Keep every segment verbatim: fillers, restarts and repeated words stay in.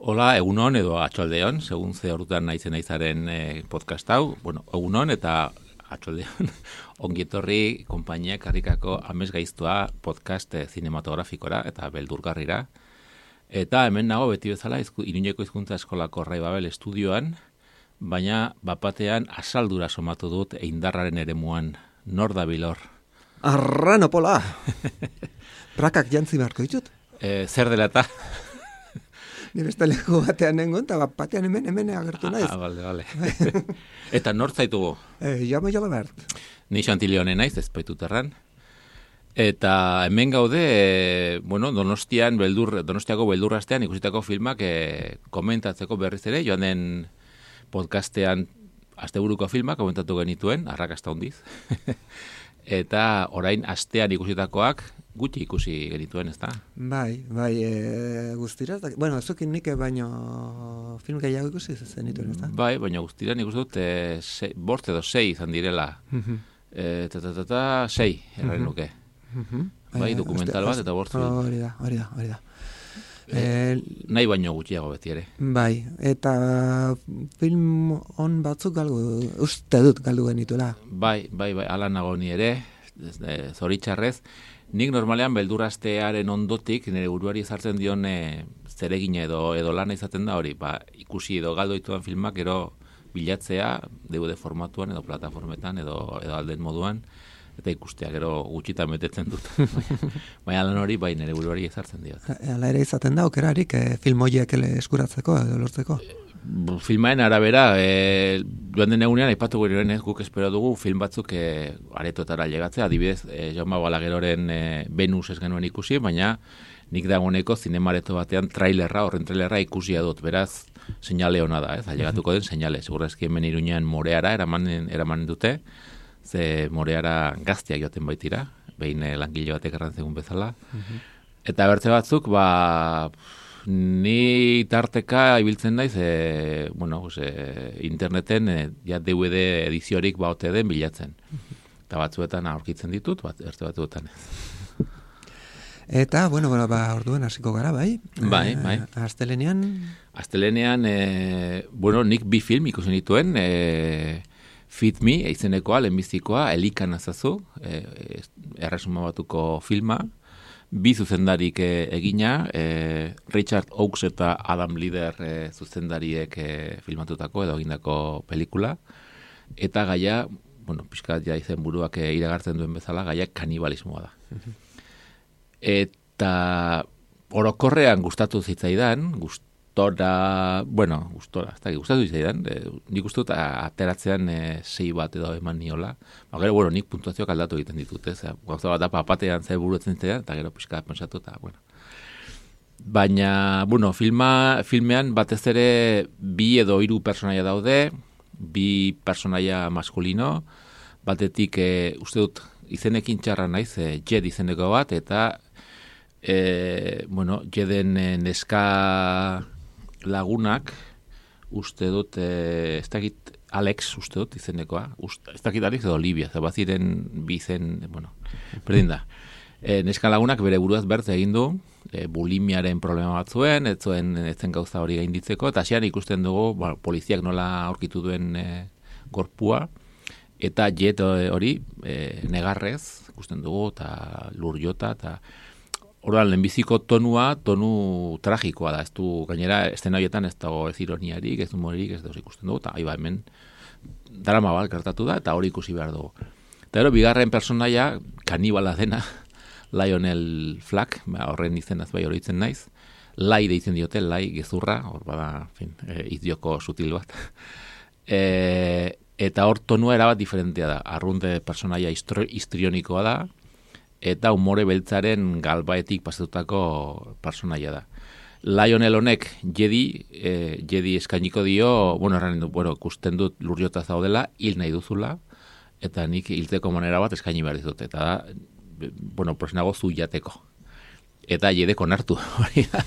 Hola, egunon edo atxaldeon, segun ze ordutan naizen naizaren eh, podcast hau. Bueno, egunon eta atxaldeon ongietorri konpainia karrikako Amez Gaiztoa podcast eh, zinematografikora eta beldurgarrira. Eta hemen nago beti bezala izku, Iruñeko hizkuntza eskolako Rai Babel estudioan, baina bapatean asaldura somatu dut eindarraren eremuan. Nor da bilor? Arranopola! Prakak jantzi beharko ditut? E, zer dela eta? Ni beste leku batean nengon, eta batean hemen hemen agertu naiz. Ah, bale, bale. Eta nor zaitugu? Eh, jama jala behart. Ni Xantileone naiz, ez baitut erran. Eta hemen gaude, e, bueno, Donostian beldur, Donostiako beldurrastean ikusitako filmak e, komentatzeko berriz ere, joan den podcastean asteburuko filmak komentatu genituen, arrakasta hondiz. Eta orain astean ikusitakoak gutxi ikusi genituen, ez da? Bai, bai, e, guztira, da, bueno, zukin nik baino film gehiago ikusi zenituen, ez da? Bai, baina guztira nik uste dut e, se, bost edo sei izan direla. e, ta, ta, ta, ta, sei, erraren luke. Bai, dokumental bat eta bost. Hori da, hori da, hori da. E, e, nahi baino gutxiago beti ere. Bai, eta film on batzuk galdu, uste dut galdu genituela. Bai, bai, bai, ala nago ni ere, e, zoritxarrez. Nik normalean beldurrastearen ondotik nire buruari ezartzen dion e, zeregina edo edo lana izaten da hori, ba, ikusi edo galdo dituan filmak gero bilatzea D V D formatuan edo plataformetan edo edo alden moduan eta ikustea gero gutxitan betetzen dut. Baina lan hori bai nire buruari ezartzen diot. Hala ere izaten da okerarik e, film horiek eskuratzeko edo lortzeko. Filmaen arabera, e, joan den egunean, aipatu gure guk espero dugu film batzuk e, aretoetara llegatzea, adibidez, e, Jaume Balagueroren e, Venus ez genuen ikusi, baina nik dagoeneko zinemareto batean trailerra, horren trailerra ikusia dut, beraz, seinale hona da, ez, ailegatuko den seinale, segurrezki hemen Iruñean Moreara eraman, eraman dute, ze Moreara gazteak joaten baitira, behin e, langile batek errantzegun bezala, eta bertze batzuk, ba... Ni tarteka ibiltzen naiz, e, bueno, e, interneten e, ja D V D ediziorik baote den bilatzen. Eta batzuetan aurkitzen ditut, bat, erte batzuetan ez. Eta, bueno, bueno, ba, orduan hasiko gara, bai? Bai, bai. E, Astelenean? Astelenean, e, bueno, nik bi film ikusi nituen, e, Feed Me, eizenekoa, lehenbizikoa, Elikan azazu, e, erresuma batuko filma, bi zuzendarik e, egina, e, Richard Oakes eta Adam Lieder e, zuzendariek e, filmatutako edo egindako pelikula, eta gaia, bueno, pixkat ja izen buruak e, iragartzen duen bezala, gaia kanibalismoa da. Eta orokorrean gustatu zitzaidan, gustora, bueno, gustora, ez da, gustatu zitzaidan, e, nik uste dut ateratzean e, sei bat edo eman niola, ba, gero, bueno, nik puntuazioak aldatu egiten ditut, ez, gauza bat da papatean ze buruetzen zitzaidan, eta gero pixka pensatu, eta, bueno. Baina, bueno, filma, filmean batez ere bi edo hiru personaia daude, bi personaia maskulino, batetik, e, uste dut, izenekin txarra naiz, e, Jed izeneko bat, eta, e, bueno, Jeden e, neska lagunak, uste dut, e, ez dakit Alex, uste dut, izenekoa, uste, ez dakit Alex edo Olivia, ez baziren bizen, bueno, berdin da. E, neska lagunak bere buruaz bertze egin du, e, bulimiaren problema bat zuen, ez zuen, ez zen gauza hori gainditzeko, eta hasian ikusten dugu, bueno, poliziak nola aurkitu duen e, gorpua, eta Jet hori e, negarrez, ikusten dugu, eta lur jota, eta orduan, lehenbiziko tonua, tonu tragikoa da, ez du, gainera, estena horietan ez dago ez ironiarik, ez humoririk, ez dago ikusten dugu, eta aiba hemen drama bat gertatu da, eta hori ikusi behar dugu. Eta gero, bigarren personaia, kanibala dena, Lionel Flack, horren izenaz bai hori itzen naiz, Lai deitzen diote, Lai gezurra, hor bada, fin, e, idioko sutil bat. e, eta hor tonua erabat diferentea da, arrunte personaia histrionikoa da, eta umore beltzaren galbaetik pasatutako personaia da. Lionel honek Jedi, eh, Jedi eskainiko dio, bueno, erran du, bueno, ikusten dut lurjota zaudela, hil nahi duzula, eta nik hiltzeko manera bat eskaini behar dizut, eta da, bueno, prosnago zu jateko. Eta Jedek onartu, hori da.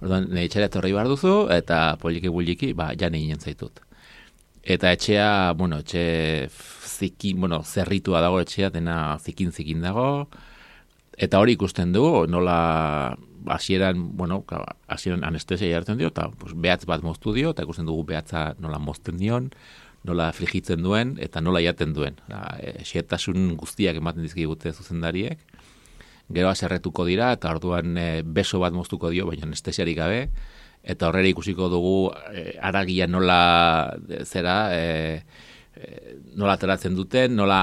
Orduan, nire etxera etorri behar duzu, eta poliki buliki, ba, jane ginen zaitut. Eta etxea, bueno, etxe zikin, bueno, zerritua dago etxea, dena zikin-zikin dago, eta hori ikusten dugu, nola hasieran, bueno, hasieran anestesia jartzen dio, eta pues, behatz bat moztu dio, eta ikusten dugu behatza nola mozten dion, nola frigitzen duen, eta nola jaten duen. Xetasun guztiak ematen dizkigute zuzendariek, gero aserretuko dira, eta orduan e, beso bat moztuko dio, baina anestesiarik gabe, eta horrela ikusiko dugu e, aragia nola zera, e, e, nola ateratzen duten, nola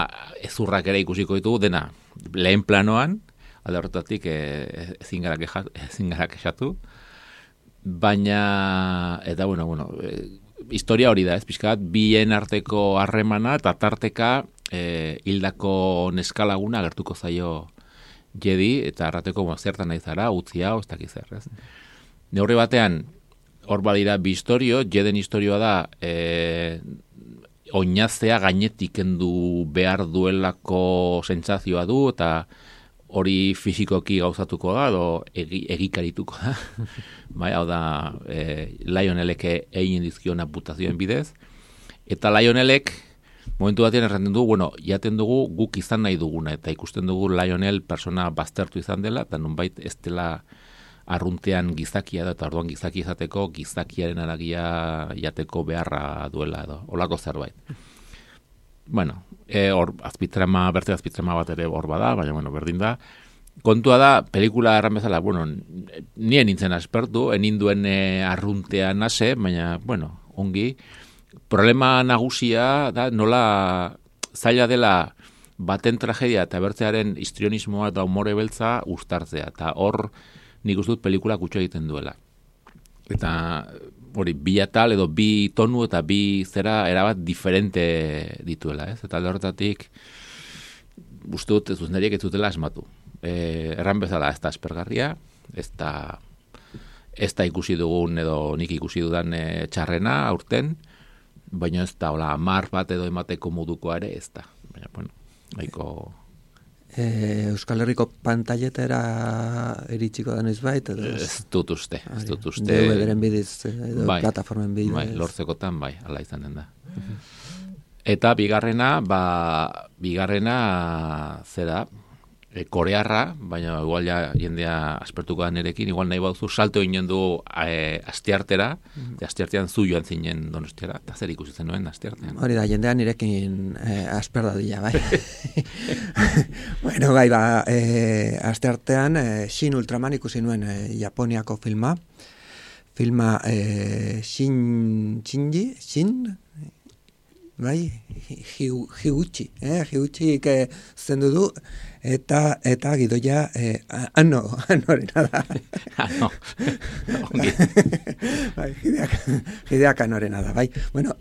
ezurrak ere ikusiko ditugu, dena lehen planoan, alde horretatik e, ezin gara kexa, ezin gara kexatu, baina, eta bueno, bueno, e, historia hori da, ez pixkat, bien arteko harremana, eta tarteka e, hildako neskalaguna agertuko zaio Jedi, eta arrateko bueno, zertan nahi zara, utzi hau, ez dakiz zer, ez? Neurri batean, hor badira bi historio, Jeden historioa da, e, oinaztea gainetik kendu behar duelako sentsazioa du, eta hori fisikoki gauzatuko da, edo egi, egikarituko da. Bai, hau da, e, Lionelek egin dizkion amputazioen bidez, eta Lionelek, momentu batean erraten du, bueno, jaten dugu guk izan nahi duguna, eta ikusten dugu Lionel persona baztertu izan dela, eta nonbait ez dela arruntean gizakia da, eta orduan gizaki izateko, gizakiaren aragia jateko beharra duela edo, olako zerbait. Bueno, e, hor, azpitrama, berte azpitrama bat ere hor bada, baina, bueno, berdin da. Kontua da, pelikula erran bezala, bueno, nien nintzen aspertu, eninduen e, arruntean ase, baina, bueno, ongi, problema nagusia da nola zaila dela baten tragedia eta bertzearen histrionismoa eta umore beltza uztartzea, eta hor nik uste dut pelikula kutxo egiten duela. Eta hori, bi atal edo bi tonu eta bi zera erabat diferente dituela, ez? Eta alde horretatik uste dut zuzendariek ez dutela asmatu. E, erran bezala ez da aspergarria, ez da, ez da ikusi dugun edo nik ikusi dudan e, txarrena aurten, baina ez da, hola, mar bat edo emateko modukoa ere ez da. Baina, bueno, nahiko... E, Euskal Herriko pantailetera iritsiko da noiz bait, edo... Ez dut uste, ez dut uste... D V D-ren bidez, edo bai, plataformen bidez. Bai, lortzekotan, bai, ala izan den da. Eta bigarrena, ba, bigarrena, zera, e, korearra, baina igual ja jendea aspertuko da nerekin, igual nahi bauzu salto ginen du e, asteartera, mm. asteartean zu joan zinen Donostiara, eta zer ikusi zen nuen asteartean. Hori da, jendean nirekin e, asper dadila, bai. Bueno, bai, ba, e, asteartean e, Shin Ultraman ikusi nuen e, Japoniako filma, filma e, Shin, Shinji, Shin... Bai, Higuchi, eh, Higuchi que zendu du eta eta gidoia eh ano, anorena da. Ano. Bai, gideak, gideak anorena da, bai. Bueno,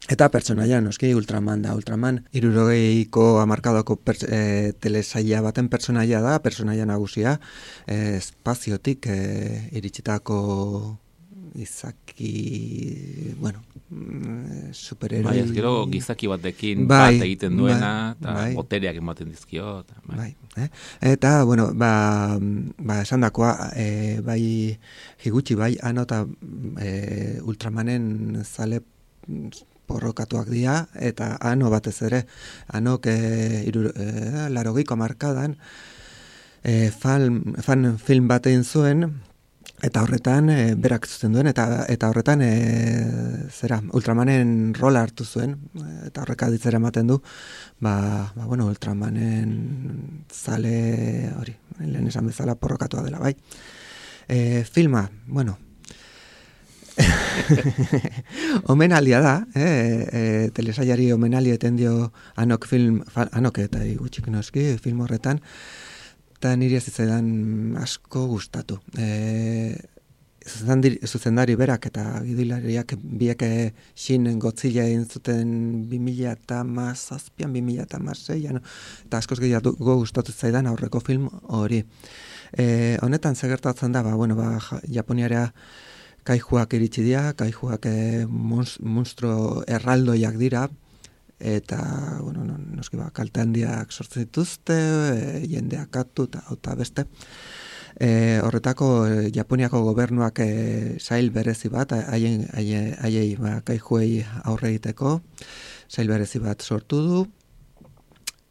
eta pertsonaia noski Ultraman da, Ultraman hirurogeiko hamarkadako e, telesaila baten pertsonaia da, pertsonaia nagusia, e, espaziotik e, iritsitako izaki, bueno, superheroi... Bai, ez gero gizaki batekin bai, bat egiten duena, eta bai, botereak ematen dizkio. Eta, bai. Bai, eh? Eta, bueno, ba, ba esan dakoa, e, bai Higuchi, bai, ano eta e, Ultramanen zale porrokatuak dira, eta ano batez ere, anok e, iru, e, larogiko markadan e, fan, fan film bat egin zuen, eta horretan e, berak zuten duen, eta eta horretan e, zera, Ultramanen rola hartu zuen, eta horreka ditzera ematen du, ba, ba bueno, Ultramanen zale, hori, lehen esan bezala porrokatua dela, bai. E, filma, bueno, omenalia da, eh, e, telesailari omenalia eten dio anok film, fa, anok eta gutxik noski, film horretan, eta niri ez zitzaidan asko gustatu. E, zuzendari, zuzendari berak eta gidilariak biek xin Godzilla egin zuten bi mila hamazazpian, bi mila hamaseian, eta askoz gehiago gustatu zaidan aurreko film hori. E, honetan zegertatzen da, ba, bueno, ba, Japoniara kaijuak iritsi dira, kaijuak e, monstro erraldoiak dira, eta, bueno, no, noski ba, kalte handiak sortzen dituzte, e, jendeak atu eta beste. E, horretako e, Japoniako gobernuak e, sail berezi bat, haien haiei ba, kaijuei aurre egiteko, sail berezi bat sortu du,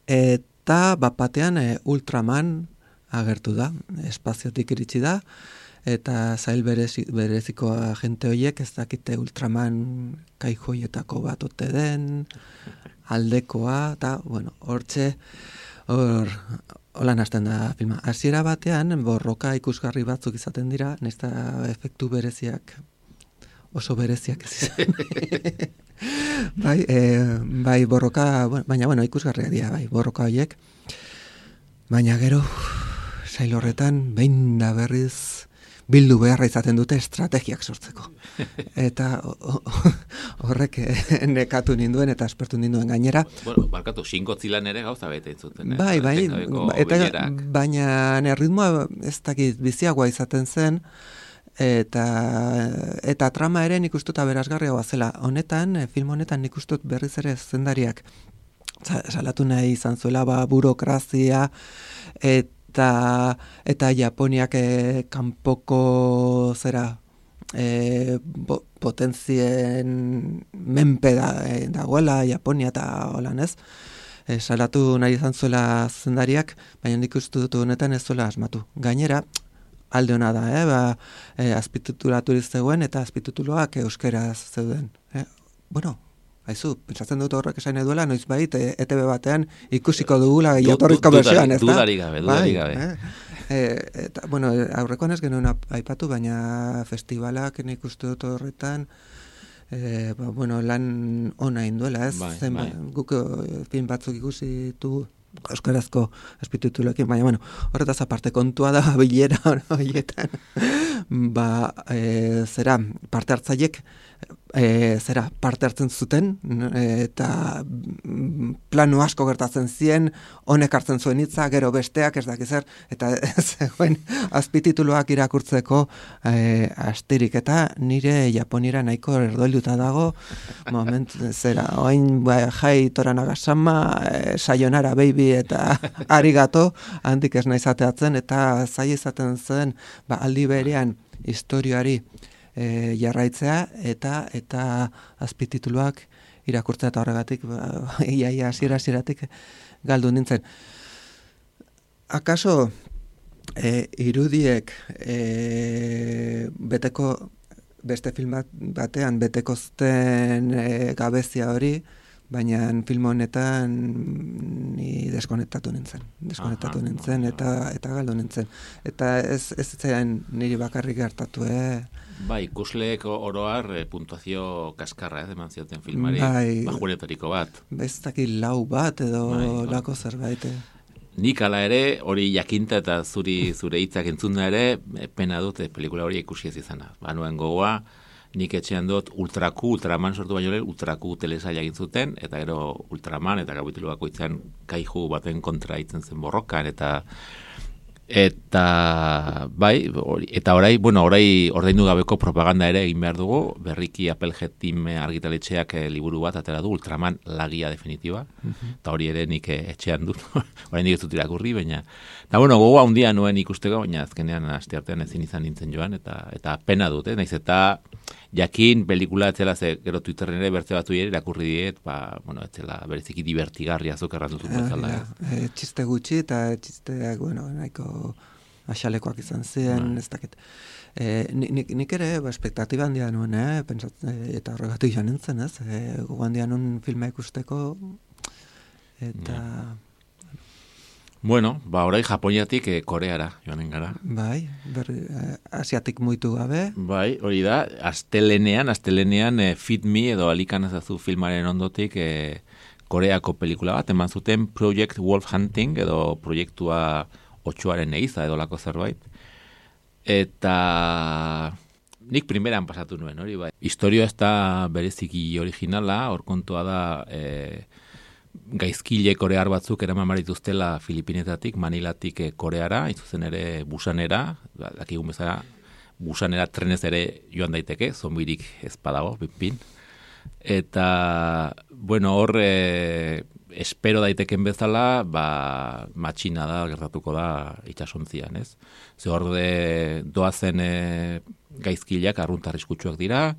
eta bat batean e, Ultraman agertu da, espaziotik iritsi da, eta zail berezi, bereziko agente horiek ez dakite Ultraman kaijoietako bat ote den, aldekoa, eta, bueno, hortxe, hor, holan hasten da filma. Hasiera batean, borroka ikusgarri batzuk izaten dira, nesta efektu bereziak, oso bereziak ez izan. bai, e, bai, borroka, baina, bueno, ikusgarriak dira, bai, borroka horiek, baina gero, sail horretan, behin da berriz, bildu beharra izaten dute estrategiak sortzeko. Eta horrek nekatu ninduen eta aspertu ninduen gainera. Bueno, barkatu, Shin Godzilla ere gauza bete zuten, eh? Bai, bai, eta, baina erritmoa ez dakit biziagoa izaten zen, eta, eta trama ere nik ustuta berazgarriagoa zela. Honetan, film honetan nik ustut berriz ere zendariak salatu nahi izan zuela, ba, burokrazia, eta Eta, eta Japoniak e, kanpoko zera e, bo, potentzien menpe da, e, dagoela Japonia eta holan ez. E, salatu nahi izan zuela zendariak, baina nik uste dut honetan ez zuela asmatu. Gainera, alde hona da, eh? ba, e, azpititulaturiz zegoen eta azpitituloak euskaraz zeuden. Eh? Bueno, haizu, pentsatzen dut horrek esain duela, noiz bait, e, E T B batean ikusiko dugula jatorrizko bertsioan, ez da? Dudari gabe, dudari gabe. Eh? E, eta, bueno, aurrekoan ez genuen aipatu, baina festivalak nik uste dut horretan, e, ba, bueno, lan ona induela, ez? Bai, Zen, bai. Guk film batzuk ikusi du euskarazko azpitituloekin, baina, bueno, horretaz aparte kontua da bilera horietan, ba, e, zera, parte hartzaiek, E, zera, parte hartzen zuten e, eta plano asko gertatzen zien, honek hartzen zuen hitza, gero besteak ez dakiz zer, eta zegoen azpitituluak irakurtzeko e, astirik, eta nire Japonira nahiko erdoiluta dago, moment, zera, oain ba, jai tora nagasama, e, sayonara baby eta arigato, handik ez nahi zateatzen, eta zai izaten zen, ba, aldi berean historioari E, jarraitzea eta eta azpitituluak irakurtzea eta horregatik ba, iaia hasiera hasieratik galdu nintzen. Akaso e, irudiek e, beteko beste film bat, batean beteko zuten e, gabezia hori, baina film honetan ni deskonektatu nintzen. Deskonektatu Aha, nintzen eta eta galdu nintzen. Eta ez ez zen niri bakarrik gertatu, eh. Bai, ikusleek oroar e, puntuazio kaskarra, ez, eman zioten filmari, bai, bajunetariko bat. Ez dakit lau bat edo bai, lako zerbait. Nik ala ere, hori jakinta eta zuri zure hitzak entzunda ere, pena dut pelikula hori ikusi ez izana. Banuen gogoa, nik etxean dut Ultraku, Ultraman sortu baino lehen, Ultraku telesaila egin zuten, eta gero Ultraman eta kapitulu bakoitzean kaiju baten kontra itzen zen borrokan, eta eta bai, ori, eta orai, bueno, orai ordaindu gabeko propaganda ere egin behar dugu, berriki Applehead Team argitaletxeak e, liburu bat atera du, Ultraman lagia definitiba, eta hori ere nik e, etxean dut, orain nik ez dut irakurri, baina, eta bueno, gogoa handia nuen ikusteko, baina azkenean asteartean ezin izan nintzen joan, eta eta pena dut, eh? Naiz eta jakin pelikula etzela, ze gero Twitterren ere bertze batu ere irakurri diet, ba, bueno, etzela bereziki divertigarria zuk errantutun bezala. E, txiste gutxi eta txisteak, bueno, nahiko axalekoak izan ziren, ez dakit. E, nik, nik ere, ba, espektatiba handia nuen, eh? Pentsat, e, eta horregatik joan nintzen, ez? E, Gogo handia nuen filma ikusteko, eta... Ja. Bueno, ba, orai Japoniatik e, Koreara joanen gara. Bai, berri, eh, asiatik muitu gabe. Bai, hori da, astelenean, astelenean e, Feed Me edo Alikan ezazu filmaren ondotik e, Koreako pelikula bat, eman zuten Project Wolf Hunting edo proiektua otxoaren eiza edo lako zerbait. Eta nik primeran pasatu nuen, hori bai. Historia ez da bereziki originala, hor kontua da e, gaizkile korear batzuk eraman barituztela Filipinetatik, Manilatik e, Koreara, izuzen ere Busanera, dakigun bezala Busanera trenez ere joan daiteke, zombirik ez badago, pin. Eta, bueno, hor e, espero daiteken bezala, ba, matxina da, gertatuko da itxasontzian, ez? Ze hor de doazen e, gaizkileak arrunt arriskutsuak dira,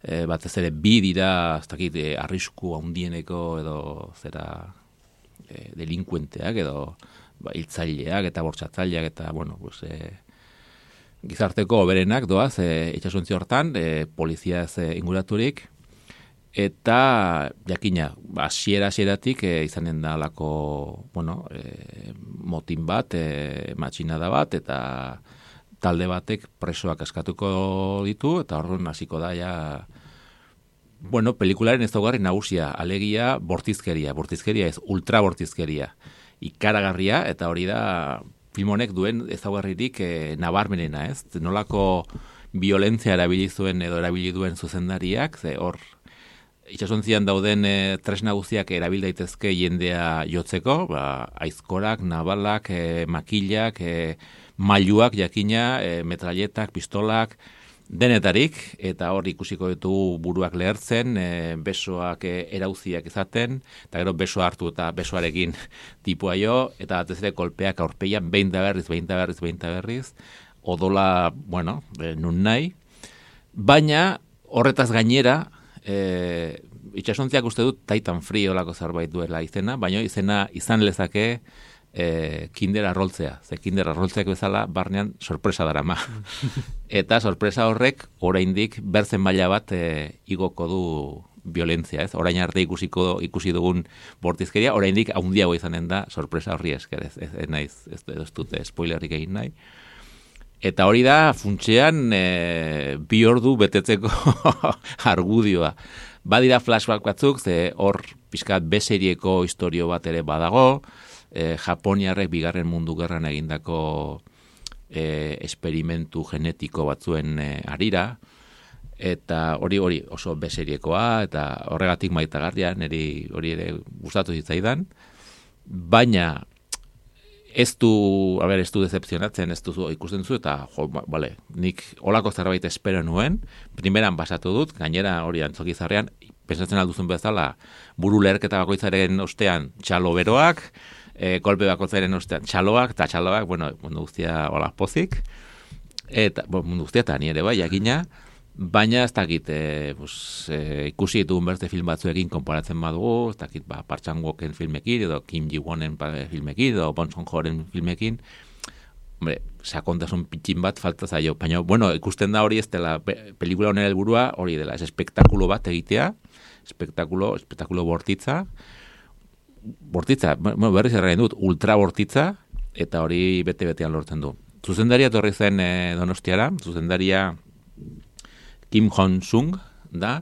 e, batez ere bi dira, ez dakit, e, arrisku handieneko edo zera e, delinkuenteak edo ba, hiltzaileak eta bortxatzaileak eta, bueno, pues, e, gizarteko oberenak doaz e, itxasontzi hortan, e, polizia ez e, inguraturik, eta jakina, hasiera hasieratik e, izanen da lako, bueno, e, motin bat, e, matxinada bat, eta talde batek presoak askatuko ditu, eta horren hasiko da ja, bueno, pelikularen ez daugarri nagusia, alegia bortizkeria, bortizkeria ez, ultra bortizkeria, ikaragarria, eta hori da film honek duen ezaugarririk e, nabarmenena, ez? Nolako violentzia erabili zuen edo erabili duen zuzendariak, ze hor itxasontzian dauden e, tresna guztiak erabil daitezke jendea jotzeko, ba, aizkorak, nabalak, e, makilak, e, mailuak jakina, e, metralletak, pistolak, denetarik, eta hor ikusiko ditu buruak lehertzen, e, besoak e, erauziak izaten, eta gero besoa hartu eta besoarekin tipua jo, eta batez ere kolpeak aurpeian behin da berriz, behin da berriz, behin da berriz, odola, bueno, e, nun nahi, baina horretaz gainera, E, itxasontziak uste dut Titan Free olako zerbait duela izena, baina izena izan lezake e, Kinder arroltzea. Ze Kinder arroltzeak bezala barnean sorpresa darama. Eta sorpresa horrek oraindik bertzen maila bat e, igoko du violentzia, ez? Orain arte ikusiko ikusi dugun bortizkeria, oraindik handiago izanen da sorpresa horri esker, ez, ez, ez naiz, ez, ez dute spoilerik egin nahi. Eta hori da, funtsean, e, bi ordu betetzeko argudioa. Badira flashback batzuk, ze hor pixkat B-serieko historio bat ere badago, e, Japoniarrek bigarren mundu gerran egindako e, esperimentu genetiko batzuen e, arira, eta hori hori oso B-seriekoa, eta horregatik maitagarria, niri hori ere gustatu zitzaidan, baina ez du, a ber, ez du decepcionatzen, ez du ikusten zu, eta, jo, ba, bale, nik olako zerbait espero nuen, primeran basatu dut, gainera hori antzokizarrean, pensatzen alduzun bezala, buru leherketa bakoitzaren ostean txalo beroak, e, kolpe bakoitzaren ostean txaloak, eta txaloak, bueno, mundu guztia hola pozik, eta, bueno, mundu guztia eta ni ere bai, jakina, baina ez dakit, e, pues, e, ikusi ditugun beste film batzuekin konparatzen badugu, ez dakit, ba, Park Chan-woken filmekin, edo Kim Ji-wonen filmekin, edo Bong Joon-horen filmekin, hombre, sakontasun pitxin bat falta zaio, baina, bueno, ikusten da hori ez dela, pelikula honen helburua hori dela, ez espektakulo bat egitea, espektakulo, espektakulo bortitza, bortitza, bueno, berriz erraien dut, ultra bortitza, eta hori bete-betean lortzen du. Zuzendaria torri zen e, Donostiara, zuzendaria Kim Hong-sung da,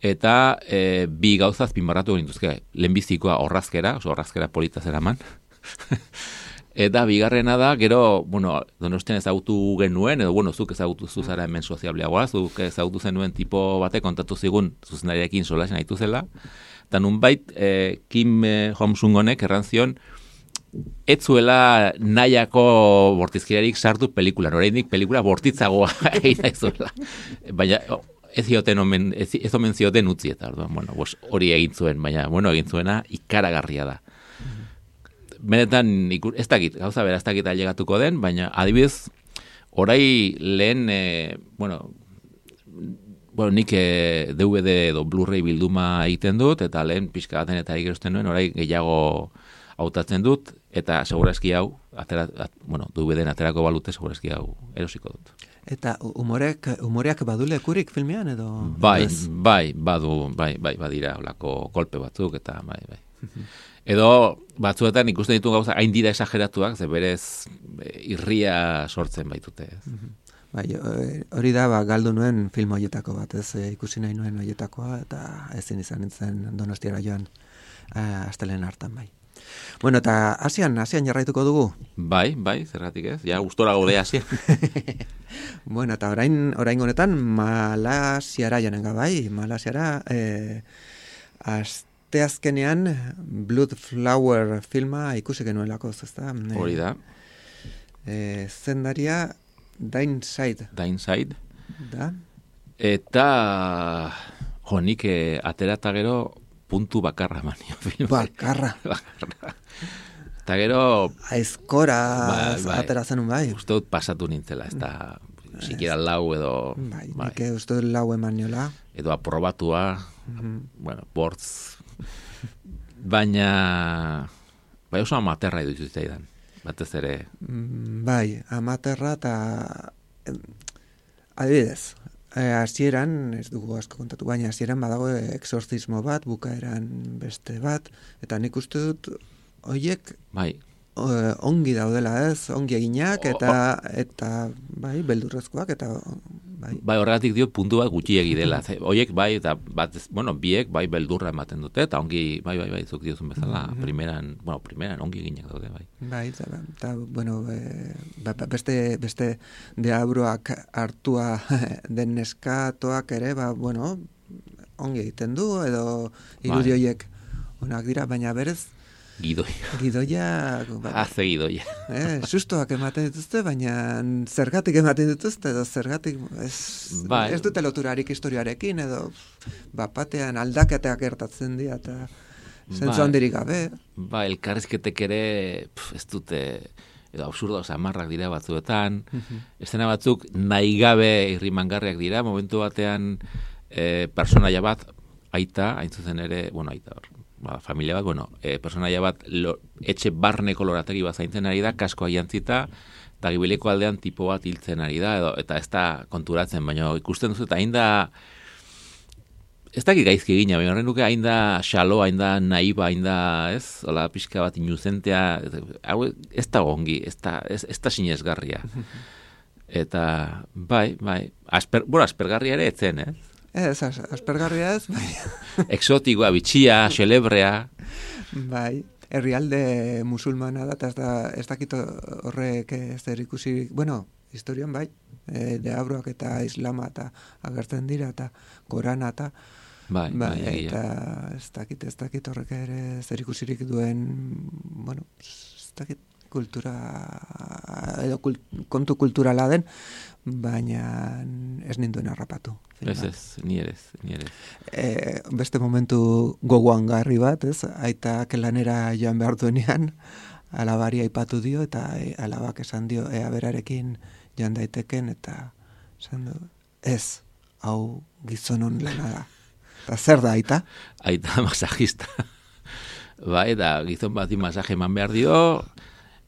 eta e, bi gauzaz pinbarratu gintuzke, lehenbizikoa orrazkera, oso orrazkera polita zeraman, eta bigarrena da, gero, bueno, Donostian ezagutu genuen, edo, bueno, zuk ezagutu zuzara hemen soziableagoa, zuk ezagutu zenuen tipo batek kontatu zigun zuzendariarekin solasen haitu zela, eta nunbait e, Kim Hong-sung honek errantzion, ez zuela nahiako bortizkeriarik sartu pelikulan, oraindik pelikula bortitzagoa egin daizuela. Baina ez zioten omen, ez, ez omen zioten utzi eta orduan, bueno, bos, hori egin zuen, baina bueno, egin zuena ikaragarria da. Benetan, ez dakit, gauza bera ez dakit ailegatuko den, baina adibidez, orai lehen, e, bueno, bueno, nik e, D V D edo Blu-ray bilduma egiten dut, eta lehen pixka baten eta egerosten nuen, orai gehiago hautatzen dut, eta segurazki hau, atera, at, bueno, D V D-en aterako balute, segurazki hau erosiko dut. Eta humorek, humoreak badu lekurik filmean edo? Bai, ez? bai, badu, bai, bai, badira, olako kolpe batzuk, eta bai, bai. Edo batzuetan ikusten ditu gauza, hain dira esageratuak, ze berez e, irria sortzen baitute. Bai, hori da, ba, galdu nuen film horietako bat, ez e, ikusi nahi nuen horietakoa, eta ezin izan nintzen Donostiara joan, e, astelen hartan bai. Bueno, eta Asian, Asian jarraituko dugu. Bai, bai, zergatik ez? Ja, gustora gaude Asian. Bueno, eta orain, orain honetan Malasiara janenga bai, Malasiara eh, asteazkenean Blood Flower filma ikusi genuelako, ezta? Hori da. Eh, zendaria Dainside. Dainside. Da. Eta jonik eh, aterata gero puntu bakarra manio filma. Bakarra. Bakarra. Eta gero... Aizkora bai, bai. atera zenun bai. Uste dut pasatu nintzela, ez da... Sikiera lau edo... Bai, bai. Nik uste dut lau eman niola. Edo aprobatua, mm-hmm. bueno, bortz... Baina... Bai oso amaterra edo izuzitaidan. Batez ere... Bai, amaterra eta... Adibidez, hasieran, ez dugu asko kontatu, baina hasieran badago exorcismo bat, bukaeran beste bat, eta nik uste dut horiek bai. ongi daudela ez, ongi eginak, eta, eta bai, beldurrezkoak, eta bai. Bai, horregatik diot puntu bat gutxiegi dela. Horiek bai, eta bat, bueno, biek bai beldurra ematen dute, eta ongi, bai, bai, bai, zuk diozun bezala, mm-hmm. primeran, bueno, primeran ongi eginak daude, bai. Bai, eta, eta bueno, e, beste, beste deabroak hartua den neskatoak ere, ba, bueno, ongi egiten du, edo irudi horiek onak dira, baina berez, Gidoia. Gidoia... Haze gidoia. Eh, sustoak ematen dituzte, baina zergatik ematen dituzte, edo zergatik ez, bai. ez dute loturarik historiarekin, edo bapatean aldaketeak gertatzen dira, eta zentzu handirik gabe. Ba, elkarrizketek ere pf, ez dute, edo absurdo, samarrak dira batzuetan, uh-huh. Estena batzuk nahi gabe irrimangarriak dira, momentu batean e, personaia bat, aita, hain zuzen ere, bueno, aita hor, ba, familia bat, bueno, e, personaia bat lo, etxe barneko lorategi bat zaintzen ari da, kaskoa jantzita, eta gibileko aldean tipo bat hiltzen ari da, edo, eta ez da konturatzen, baina ikusten duzu, eta hain da, ez dakit gaizki egina, baina horren duke hain da xalo, hain da naiba, hain da, ez, hola, pixka bat inuzentea, hau ez da gongi, ez da, ez, ez da sinesgarria. Eta, bai, bai, asper, bueno, aspergarria ere etzen, ez? Ez, aspergarria ez, bai. Exotikoa, bitxia, xelebrea. Bai, herrialde musulmana da, eta ez, da, ez dakit horrek zer ikusi, bueno, historian bai, e, deabroak eta islama eta agertzen dira, eta korana eta bai, bai, bai, eta ez dakit, ez dakit horrek ere zer ikusirik duen, bueno, ez dakit kultura, edo kult, kontu kulturala den, baina ez ninduen harrapatu. Ez ez, ni ere, ni ere. E, beste momentu gogoan garri bat, ez? Aitak lanera joan behar duenean, alabari aipatu dio, eta alabak esan dio, ea berarekin joan daiteken, eta esan du, ez, hau gizonon lana da. Eta zer da, aita? Aita masajista. Bai, da, gizon bati masaje eman behar dio,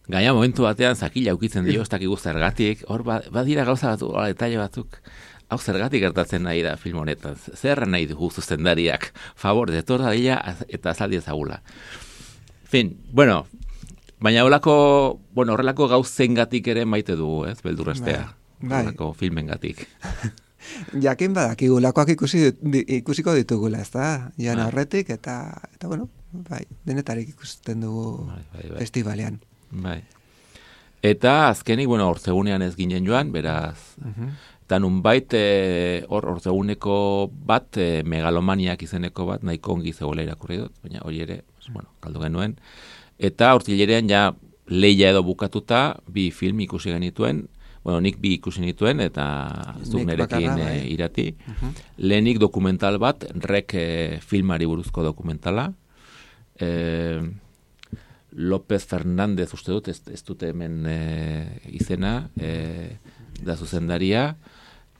gaina momentu batean zakila ukitzen dio, ez dakik zergatik, hor badira gauza batzuk, hor detalle batzuk, hau zergatik gertatzen nahi da film honetan, zer nahi dugu zuzendariak, favor, detor da dira eta azaldi ezagula. Fin, bueno, baina horrelako, bueno, horrelako gauzengatik ere maite dugu, ez, beldurrestea, bai. Horrelako filmengatik. Jakin badakigulakoak ikusi, ikusiko ditugula, ez da, jan horretik, eta, eta bueno, bai, denetarik ikusten dugu bai, bai, bai. Festivalean. Bai. Eta azkenik, bueno, ortzegunean ez ginen joan, beraz, uh-huh. Eta nunbait, hor e, ortzeguneko bat, e, megalomaniak izeneko bat, nahiko ongi zegoela irakurri dut, baina hori ere, bueno, galdu genuen. Eta hortzilerean ja leia edo bukatuta, bi film ikusi genituen, bueno, nik bi ikusi nituen, eta zuk nerekin e, irati. Uh-huh. Lehenik dokumental bat, rek e, filmari buruzko dokumentala, e, López Fernández uste dut, ez, ez dute hemen e, izena, e, da zuzendaria,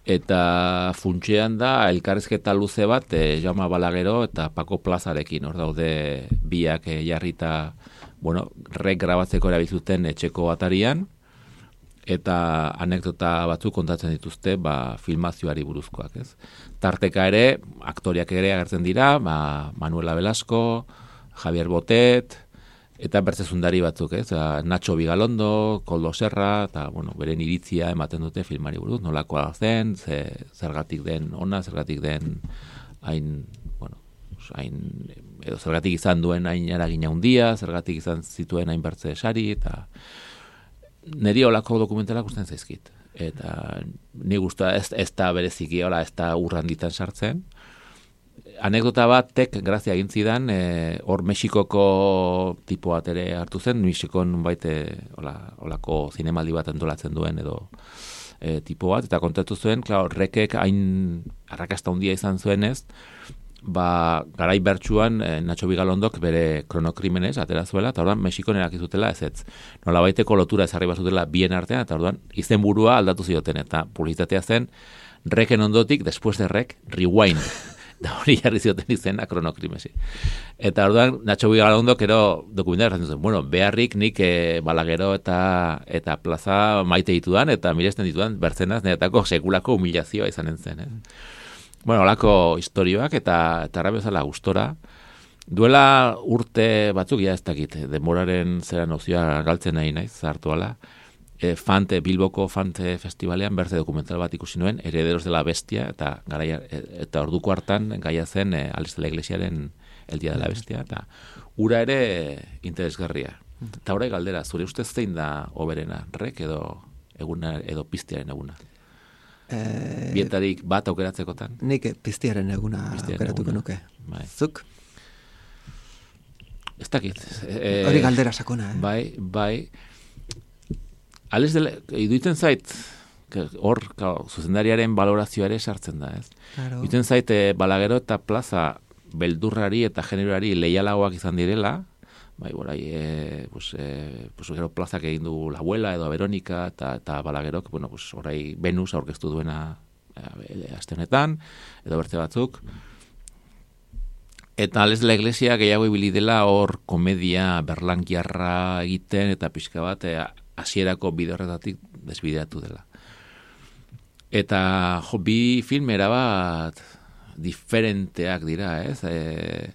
eta funtsean da elkarrizketa luze bat, e, Jaume Balagero eta Paco Plazarekin, hor daude biak e, jarrita, bueno, rek grabatzeko erabiltzuten etxeko atarian, eta anekdota batzuk kontatzen dituzte, ba, filmazioari buruzkoak, ez. Tarteka ere, aktoriak ere agertzen dira, ba, Manuela Velasco, Javier Botet, eta bertzezundari batzuk, ez? Nacho Vigalondo, Koldo Serra, eta, bueno, beren iritzia ematen dute filmari buruz, nolakoa zen, ze, zergatik den ona, zergatik den hain, bueno, hain, edo zergatik izan duen hain eragina handia, zergatik izan zituen hain bertze sari, eta niri olako dokumentalak usten zaizkit. Eta ni guztua ez, ez da bereziki, hola, ez da urranditan sartzen. Anekdota bat, tek, grazia egin zidan, e, hor Mexikoko tipo bat ere hartu zen, Mexikon baite hola, holako zinemaldi bat antolatzen duen edo e, tipo bat, eta kontatu zuen, klar, rekek hain arrakasta handia izan zuenez, ba, garai bertsuan e, Nacho Bigalondok bere kronokrimenez atera zuela, eta orduan Mexikon erakizutela ez ez. Nola baiteko lotura ezarri bazutela bien artean, eta orduan izen burua aldatu zioten, eta publizitatea zen, reken ondotik, después de rek, rewind. Da hori jarri zioten izena kronokrimesi. Eta orduan, Nacho Bigalondok ero dokumentar erratzen zuen, bueno, beharrik nik e, Balagero eta eta plaza maite ditudan, eta miresten ditudan, bertzenaz, niretako sekulako humilazioa izanen zen, eh? Bueno, olako historioak eta eta bezala gustora. Duela urte batzuk, ja ez dakit, denboraren zera nozioa galtzen nahi naiz, zartu ala, e, Fante, Bilboko Fante Festivalean bertze dokumental bat ikusi nuen, Herederos de la Bestia, eta garaia, eta orduko hartan gaia zen e, Alex de la Iglesiaren El Día de la Bestia, eta ura ere interesgarria. Eta orai galdera, zure ustez zein da oberena, rek edo eguna edo piztiaren eguna? Eh, Bietarik bat aukeratzekotan? Nik piztiaren eguna aukeratuko nuke. Bai. Zuk? Ez dakit. E, Hori galdera sakona, eh? Bai, bai. Alex dela, iduitzen zait, hor, zuzendariaren balorazioa ere sartzen da, ez? Claro. Iduitzen zait, e, Balagero eta plaza beldurrari eta generoari leialagoak izan direla, bai, borai, e, pues, e, pues, gero plazak egin du La Abuela edo Veronika eta, eta Balagerok, bueno, pues, orai Venus aurkeztu duena e, aste honetan, edo bertze batzuk. Eta Alex de la Iglesia gehiago ibili dela hor komedia berlankiarra egiten eta pixka bat e, hasierako bide horretatik desbideratu dela. Eta jo, bi film erabat diferenteak dira, ez? E,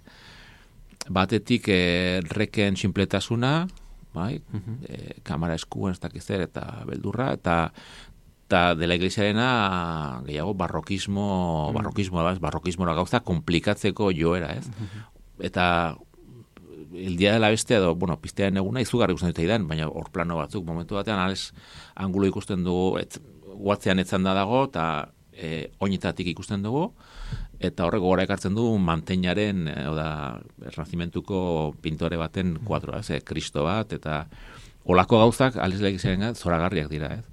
batetik e, reken sinpletasuna, bai? Uh-huh. E, kamara eskuan ez dakiz zer eta beldurra, eta eta de la Iglesiarena gehiago barrokismo, uh-huh. barrokismo, barrokismora gauza komplikatzeko joera, ez? Uh-huh. Eta El Día de la Bestia edo, bueno, piztearen eguna izugarri ikusten dut idan, baina hor plano batzuk, momentu batean, ales, angulo ikusten dugu, et, guatzean etzan da dago, eta e, oinetatik ikusten dugu, eta horrek gogora ekartzen du manteinaren, e, oda, ernazimentuko pintore baten kuadroa, ez, e, Kristo bat, eta olako gauzak, ales legizaren zoragarriak dira, ez.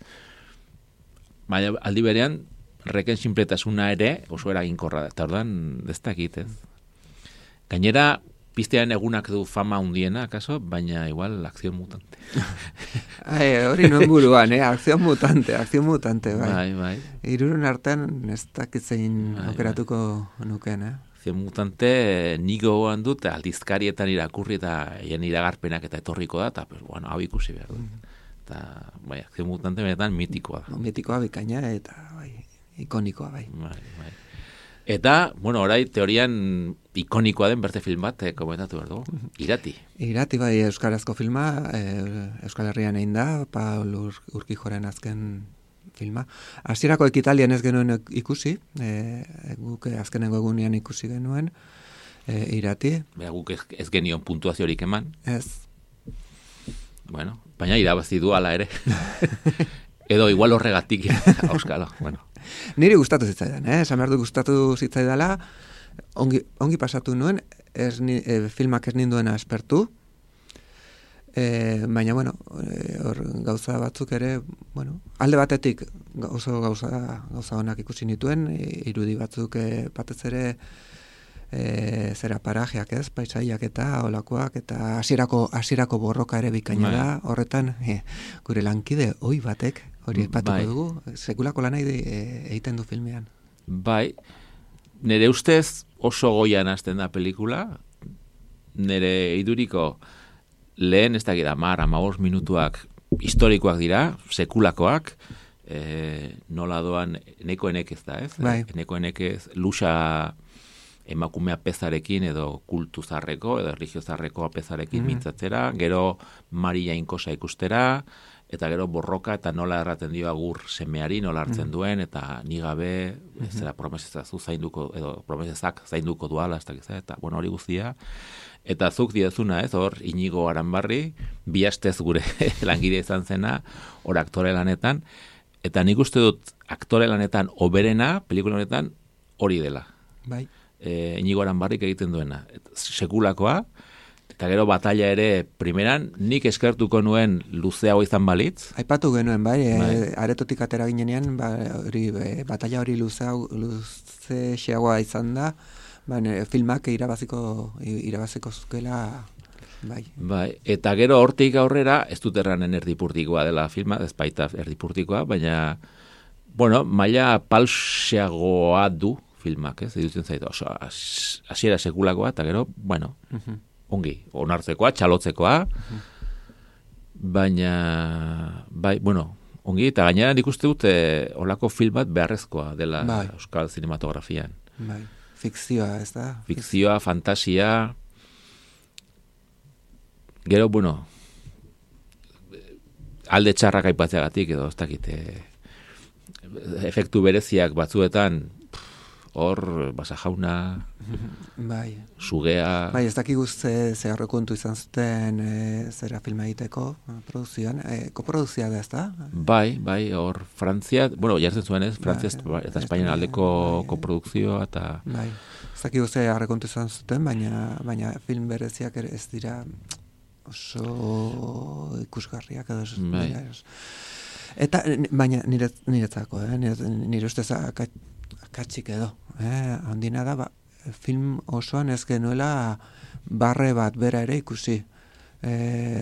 Baina aldi berean, reken sinpletasuna ere oso eraginkorra da, eta ordan ez dakit, ez. Gainera, piztearen egunak du fama hundiena, akaso, baina igual akzion mutante. Ai, hori nuen buruan, eh? Akzion mutante, akzion mutante, bai. Bai, bai. Irurun artean ez dakitzein bai, aukeratuko bai. Nuken, eh? Akzion mutante nigo goan dut, aldizkarietan irakurri eta hien iragarpenak eta etorriko da, eta, pues, bueno, hau ikusi behar dut. Eta, bai, akzion mutante benetan mitikoa da. Mitikoa bikaina eta, bai, ikonikoa, bai. Bai, bai. Eta, bueno, orai teorian ikonikoa den berte film bat, eh, komentatu behar dugu. Irati. Irati, bai, euskarazko filma, eh, Euskal Herrian egin da, Paul Ur, Urkijoren azken filma. Hasierako ekitaldian ez genuen ikusi, eh, guk azkenengo egunean ikusi genuen, eh, Irati. Bera, guk ez, ez genion puntuaziorik eman. Ez. Bueno, baina irabazi du ala ere. Edo igual horregatik, auskalo, bueno. Niri gustatu zitzaidan, eh? Esan behar du gustatu zitzaidala, ongi, ongi pasatu nuen, ez ni, e, filmak ez ninduena espertu, e, baina, bueno, e, hor gauza batzuk ere, bueno, alde batetik oso gauza, gauza honak ikusi nituen, e, irudi batzuk e, batez ere e, zera parajeak ez, paisaiak eta olakoak, eta hasierako hasierako borroka ere bikaina da, horretan e, gure lankide oi batek, hori epatuko bai. Dugu, sekulako lanai egiten du filmean. Bai, nire ustez oso goian hasten da pelikula, nire iduriko lehen ez da gira, mar, amabost minutuak historikoak dira, sekulakoak, e, nola doan eneko enekez da, ez? Bai. Eneko enekez luxa emakumea pezarekin edo kultuzarreko edo religiozarreko pezarekin mm-hmm. mintzatzera, gero Maria Inkosa ikustera, eta gero borroka eta nola erraten dio agur semeari, nola hartzen mm. duen, eta ni gabe, mm-hmm. ez zera promesezazu zainduko, edo promesezak zainduko duala, ez dakiz, eta bueno, hori guztia, eta zuk diezuna, ez, hor, Inigo Aranbarri, bi astez gure langile izan zena, hor aktore lanetan, eta nik uste dut aktore lanetan oberena, pelikula honetan, hori dela. Bai. E, Inigo Aranbarrik egiten duena. Sekulakoa, eta gero batalla ere, primeran, nik eskertuko nuen luzeago izan balitz. Aipatu genuen, bai, bai. E, aretotik atera ginenean, ba, hori, e, batalla hori luzeago, luze xeagoa izan da, ba, filmak irabaziko, irabaziko zukela, bai. Bai, eta gero hortik aurrera, ez dut erranen erdipurtikoa dela filma, ez baita erdipurtikoa, baina, bueno, maila palseagoa du filmak, ez, edutzen zaitu, oso, hasiera sekulakoa, eta gero, bueno, uh-huh. ongi, onartzekoa, txalotzekoa, uh-huh. baina, bai, bueno, ongi, eta gainera nik uste dut olako film bat beharrezkoa dela bai. Euskal Zinematografian. Bai, fikzioa, ez da? Fikzioa, fantasia, gero, bueno, alde txarrak aipatzeagatik, edo, ez dakit, efektu bereziak batzuetan, hor, basa jauna, bai. Sugea... Bai, ez dakik guzti ze kontu izan zuten e, zera filma egiteko, produzioan, e, koproduzia da, ez da? Bai, bai, hor, Frantzia, bueno, jartzen zuen ez, Frantzia bai, eta Espainian aldeko bai, koprodukzioa, eta... Bai, ez dakik guzti kontu izan zuten, baina, baina film bereziak ez dira oso ikusgarriak edo ez bai. Dira. Eta, baina nire, niretzako, eh? nire, nire ustez akatxik edo, eh? handina da, ba, film osoan ez genuela barre bat bera ere ikusi. E,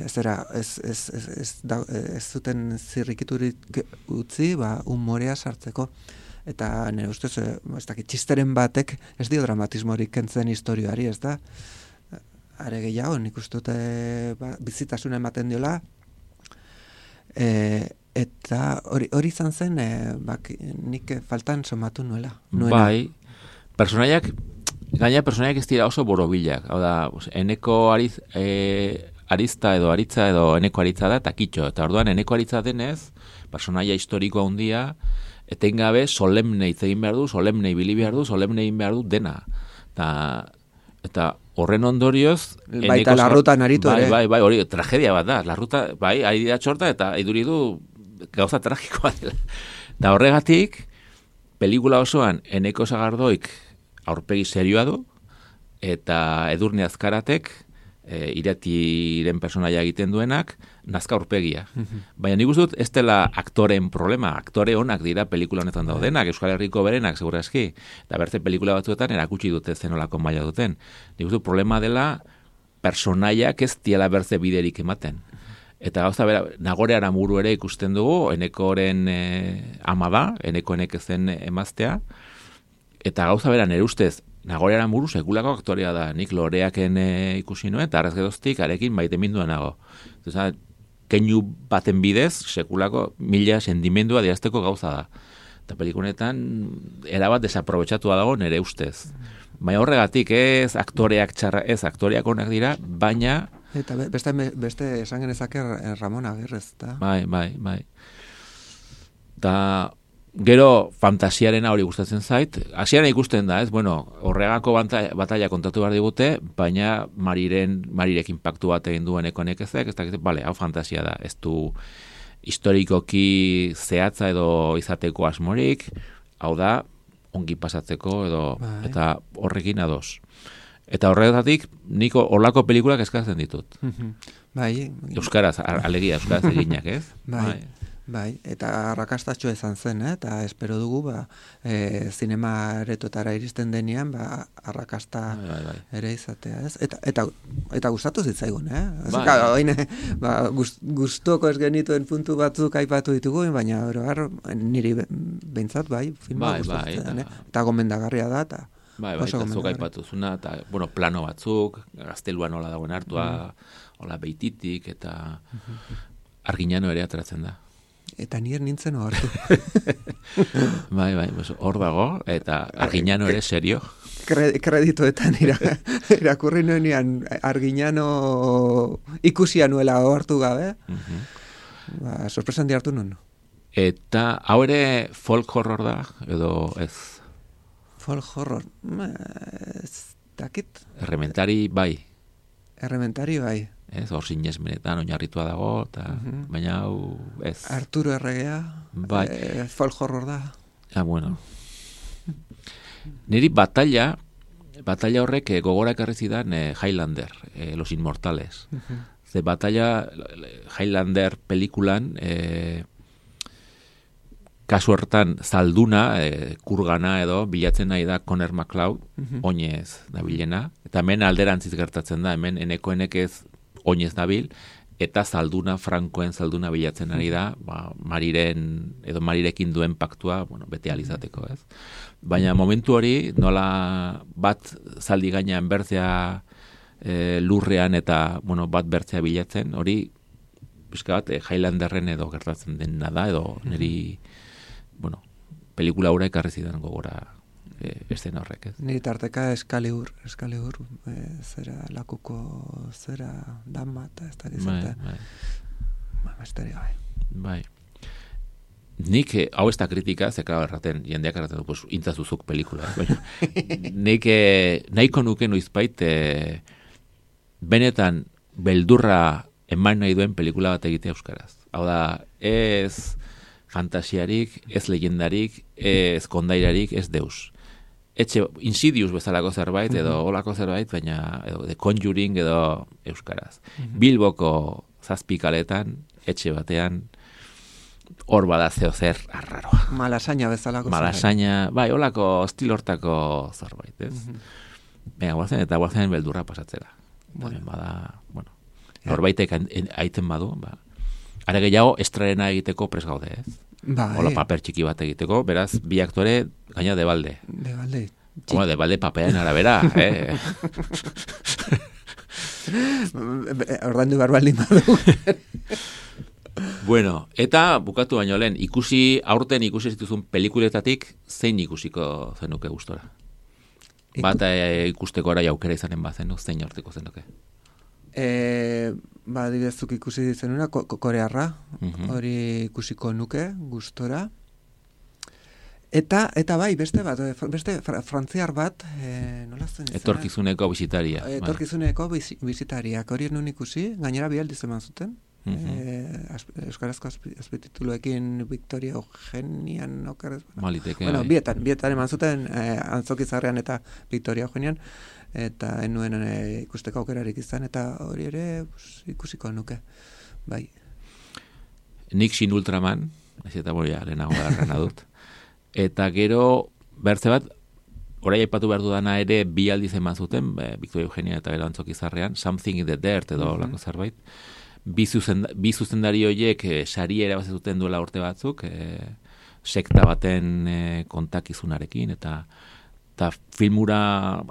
zera, ez, ez, ez, ez, da, ez zuten zirrikiturik utzi, ba, humorea sartzeko. Eta nire ustez, ez dakit, txisteren batek ez dio dramatismorik kentzen historioari, ez da? Are gehiago, nik uste dute ba, bizitasuna ematen diola, e, eta hori, hori izan zen, e, bak, nik faltan somatu nuela. Nuela. Bai, personaiak, gaina personaiak ez dira oso borobilak, hau da, eneko ariz, e, arizta edo aritza edo eneko aritza da, eta kitxo, eta orduan eneko aritza denez, personaia historikoa handia, etengabe solemne hitz egin behar du, solemne ibili behar du, solemne egin behar du dena. Eta, eta horren ondorioz... Baita larrutan aritu bai, ere. Bai, bai, hori, tragedia bat da. Larruta, bai, ari da txorta eta iduri du gauza tragikoa dela. Eta horregatik, pelikula osoan Eneko Sagardoik aurpegi serioa du, eta Edurne Azkaratek, e, iratiren personaia egiten duenak, nazka aurpegia. Baina nik uste dut, ez dela aktoren problema, aktore onak dira pelikula honetan daudenak, Euskal Herriko berenak, segurazki, eta bertze pelikula batzuetan erakutsi dute zenolako maila duten. Nik uste dut, problema dela personaiak ez diela bertze biderik ematen. Eta gauza bera, Nagore Aramuru ere ikusten dugu, Enekoren e, ama da, Eneko enek zen emaztea, eta gauza bera, nire ustez, Nagore Aramuru sekulako aktorea da, nik Loreaken e, ikusi nuen, eta arrez geroztik arekin maite minduan nago. Eta, keinu baten bidez, sekulako mila sentimendua diazteko gauza da. Eta pelikunetan, erabat desaprobetxatua dago nire ustez. Baina horregatik ez aktoreak txarra, ez aktoreak onak dira, baina... Eta beste, beste esan genezake Ramon Agirrez, da? Bai, bai, bai. Eta gero fantasiarena hori gustatzen zait. Hasieran ikusten da, ez? Bueno, horregako batalla kontatu behar digute, baina Mariren, Marirek inpaktu bat egin duen ekonekezek, ez da, bale, hau fantasia da. Ez du historikoki zehatza edo izateko asmorik, hau da, ongi pasatzeko edo, bai. Eta horrekin ados. Eta horregatik, niko horlako pelikulak eskatzen ditut. Bai. Euskaraz, alegia, euskaraz eginak, ez? Bai. Bai. Bai, eta arrakastatxo izan zen, eh? Eta espero dugu, ba, e, zinema aretoetara iristen denean, ba, arrakasta bai, bai, bai. ere izatea, ez? Eta, eta, eta gustatu zitzaigun, eh? Bai. Ka, oine, ba, gust, gustoko ez genituen puntu batzuk aipatu ditugu, baina oroar, niri behintzat, bai, filma bai, gustatzen, bai, eta, eh? Eta gomendagarria da, eta bai, bai, eta zuk aipatu zuna, eta, bueno, plano batzuk, gaztelua nola dagoen hartua, mm. hola beititik, eta Arginano ere ateratzen da. Eta nier nintzen ohartu. Bai, bai, hor dago, eta Arginano ere serio. Kreditoetan irakurri nuenean Arginano ikusia nuela ohartu gabe. Uh-huh. ba, sorpresan diartu nun. Eta hau ere folk horror da, edo ez? Folk horror, ma, ez dakit. Errementari bai. Errementari bai. Ez, hor sinesmenetan oinarritua dago, eta Mhm. baina hau ez. Arturo Erregea, Bai. eh, folk horror da. Ah, bueno. Niri batalla, batalla horrek eh, gogora ekarri zidan eh, Highlander, eh, Los Inmortales. Mhm. Ze batalla Highlander pelikulan eh, kasu hortan zalduna, eh, kurgana edo bilatzen nahi da Conor McLeod, Mhm. oinez nabilena, eta hemen alderantziz gertatzen da, hemen eneko enek ez oinez nabil, eta zalduna, frankoen zalduna bilatzen ari da, ba, mariren, edo marirekin duen paktua, bueno, bete alizateko, ez? Baina momentu hori, nola bat zaldi gainean bertzea e, lurrean eta, bueno, bat bertzea bilatzen, hori, pixka bat, e, Highlanderren edo gertatzen dena da, edo niri, bueno, pelikula hura ekarri zidan gogora e, estena horrek, ez? Niri tarteka Excalibur, Excalibur, eh, zera lakuko, zera dama, eta ez da Bai, gizarte. bai. Ba, besteria bai. Bai. Nik, eh, hau ez da kritika, ze, claro, erraten, jendeak erraten du, pues, intzazuzuk pelikula. Baina, nik eh, nahiko nuke noizbait, eh, benetan beldurra eman nahi duen pelikula bat egitea euskaraz. Hau da, ez fantasiarik, ez legendarik, ez kondairarik, ez deus. Etxe, Insidious bezalako zerbait, edo olako zerbait, baina, edo, The Conjuring, edo euskaraz. Bilboko zazpikaletan, etxe batean, hor bada zeo zer arraroa. Malasaina bezalako. Malasaina, bai, olako estil hortako zerbait, ez? Venga, guazen, eta guazen beldurra pasatzera. Bueno. Bada, bueno, norbaitek aiten badu, ba, are gehiago estrarena egiteko pres gaude, ez? Bai. Hola, paper txiki bat egiteko, beraz, bi aktore gaina de balde. De balde. Como de balde papearen arabera, eh? Ordandu barbaldin badu. Bueno, eta bukatu baino lehen, ikusi, aurten ikusi zituzun pelikuletatik, zein ikusiko zenuke gustora? Iku... Bat e, ikusteko ara jaukera izanen bazenu, zein horteko zenuke? E, ba, dibidezuk ikusi zenuna, ko, ko, korearra, Mhm. hori ikusiko nuke, gustora. Eta, eta bai, beste bat, beste fra, frantziar bat, e, nola zen izena? Etorkizuneko bisitaria. Etorkizuneko bizi, bizitariak, hori nun ikusi, gainera bi aldiz eman zuten. Eh, euskarazko azpitituluekin Victoria Eugenian okerez. Maliteke. Bueno, bai. bietan, bietan eman zuten eh, Antzokizarrean eta Victoria Eugenian, eta enuen eh, ikusteko aukerarik izan, eta hori ere pues, ikusiko nuke. Bai. Nik Sin Ultraman, ez eta boria lehenago garrana dut. Eta gero, bertze bat, orai aipatu behar dudana ere bi aldiz eman zuten, be, Victoria Eugenia eta gero Antzokizarrean, Something in the Dirt edo mm-hmm. lako zerbait. Bi, zuzen, bi zuzendari horiek e, sari erabazituten duela urte batzuk, e, sekta baten e, kontakizunarekin, eta eta filmura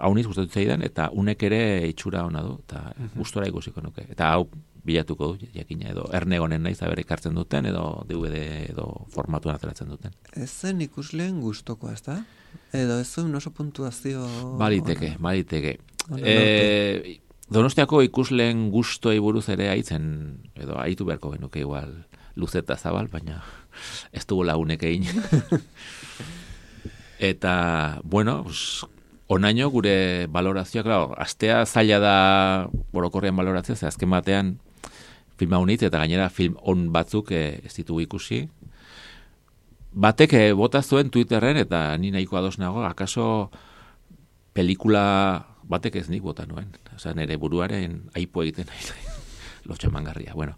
hauniz gustatu zaidan, eta unek ere itxura ona du, eta mm-hmm. gustora ikusiko nuke. Eta hau bilatuko du, jakina, edo ernegonen naiz, aber ekartzen duten, edo D V D edo formatuan ateratzen duten. Ez zen ikusleen gustoko, ez da? Edo ez zuen oso puntuazio... Baliteke, baliteke. E, Donostiako ikusleen gustoi buruz ere aitzen, edo aitu beharko genuke igual luzeta zabal, baina ez dugu lagunek egin. Eta, bueno, pues, onaino gure balorazioa, claro, astea zaila da orokorrean balorazioa, ze azken batean filma unitz, eta gainera film on batzuk eh, ez ditugu ikusi. Batek eh, bota zuen Twitterren, eta ni nahiko ados nago, akaso pelikula batek ez nik bota nuen. Osa, nire buruaren aipo egiten nahi. Lotxamangarria, bueno.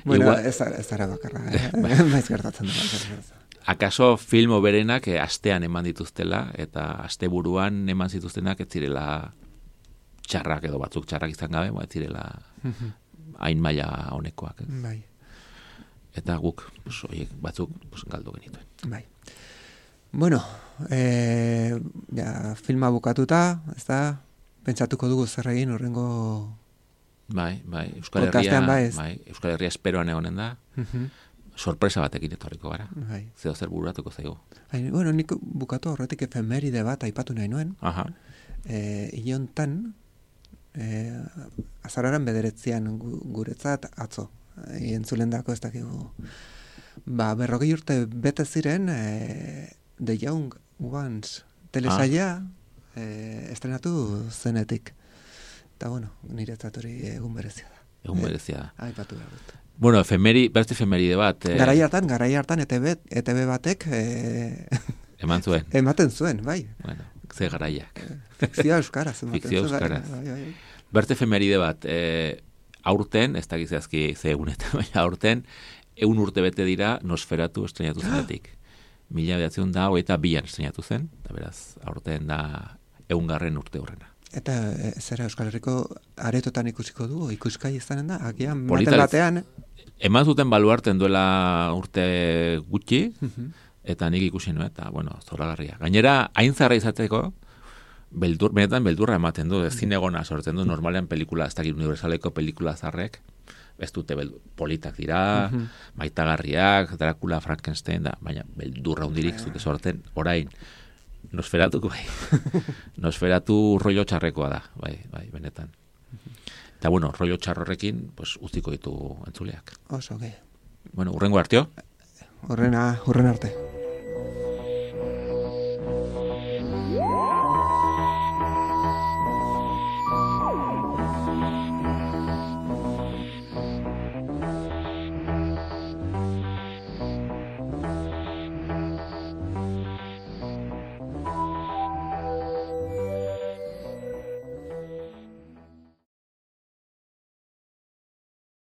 bueno, igual, ez, ez ara bakarra, eh? Maiz gertatzen da. Akaso filmo berenak eh, astean eman dituztela, eta aste buruan eman zituztenak ez zirela txarrak edo batzuk txarrak izan gabe, ez zirela hain maila honekoak. Ez? Bai. Eta guk, pues, oiek, batzuk pues, galdu genituen. Bai. Bueno, eh, ja, filma bukatuta, ez da, pentsatuko dugu zer egin horrengo... Bai, bai, Euskal Herria, bai, bai, Euskal Herria esperoan egonen da, uh-huh. sorpresa batekin etorriko gara. Bai. Zeo zer bururatuko zaigu. Bai, bueno, nik bukatu horretik efemeride bat aipatu nahi nuen. Aha. Eh, Ilontan, eh, azararen bederetzian guretzat atzo, entzulendako ez dakigu. Ba, berrogei urte bete ziren e, The Young Ones telesaia ah. e, estrenatu zenetik. Eta, bueno, niretzat hori egun berezia da. Egun berezia da. E, Aipatu behar dut. Bueno, efemeri, beste efemeride bat. Eh... Garai hartan, garai hartan, E T B, E T B batek... E... Eman zuen. Ematen zuen, bai. Bueno, ze garaiak. Fikzioa euskaraz. Fikzioa euskaraz. Bai, bai, bai. Berte efemeride bat, eh, aurten, ez da gizazki ze egunetan, baina aurten, egun urte bete dira Nosferatu estrenatu zenetik. Mila bedatzen da, hogeita bian estrenatu zen, eta beraz, aurten da egungarren urte horrena. Eta e, zera Euskal Herriko aretotan ikusiko du, ikuskai izanen da, agian baten batean. Eman zuten baluarten duela urte gutxi, uh-huh. eta nik ikusi nuen, eta, bueno, zoragarria. Gainera, hain zarra izateko, beldur, benetan beldurra ematen du, zinegona sortzen du, normalean pelikula, ez dakit universaleko pelikula zarrek, ez dute beldur, politak dira, uh-huh. maitagarriak, Dracula, Frankenstein, da, baina beldurra hundirik zute sorten, orain, Nosferatuko bai. Nosferatu rollo txarrekoa da, bai, bai, benetan. Eta bueno, rollo txarrorekin, pues, utziko ditu entzuleak. Oso, okay. Bueno, urrengo arteo? Urrena, urren arte.